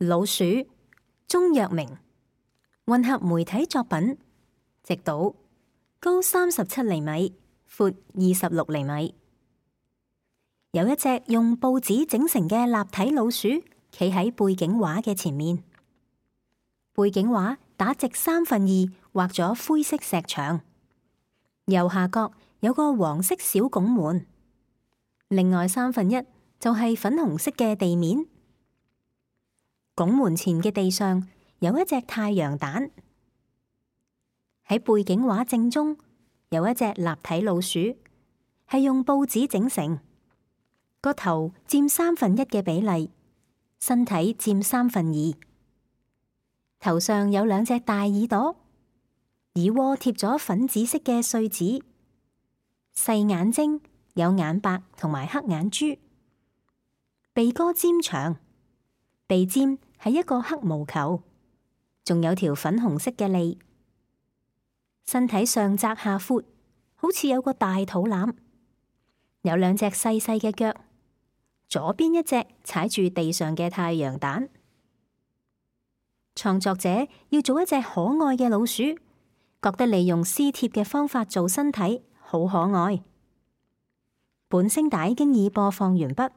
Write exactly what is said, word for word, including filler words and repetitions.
老鼠，鍾若明，混合媒體作品，直島，高三十七厘米，闊二十六厘米。有一隻用報紙整成嘅立體老鼠，企喺背景畫嘅前面。背景畫打直三分二，畫咗灰色石牆，右下角有個黃色小拱門，另外三分一就係粉紅色嘅地面。拱門前嘅地上有一隻太陽蛋。喺背景畫正中有一隻立體老鼠，係用報紙整成，個頭佔三分一嘅比例，身體佔三分二。頭上有兩隻大耳朵，耳窩貼咗粉紫色嘅碎紙，細眼睛，有眼白同埋黑眼珠，鼻哥尖長，鼻尖係一個黑毛球，仲有條粉紅色嘅脷。身體上窄下闊，好似有個大肚腩，有兩隻細細嘅腳，左邊一隻踩住地上嘅太陽蛋。創作者要做一隻可愛嘅老鼠，覺得利用撕貼嘅方法做身體好可愛。本聲帶經已播放完畢。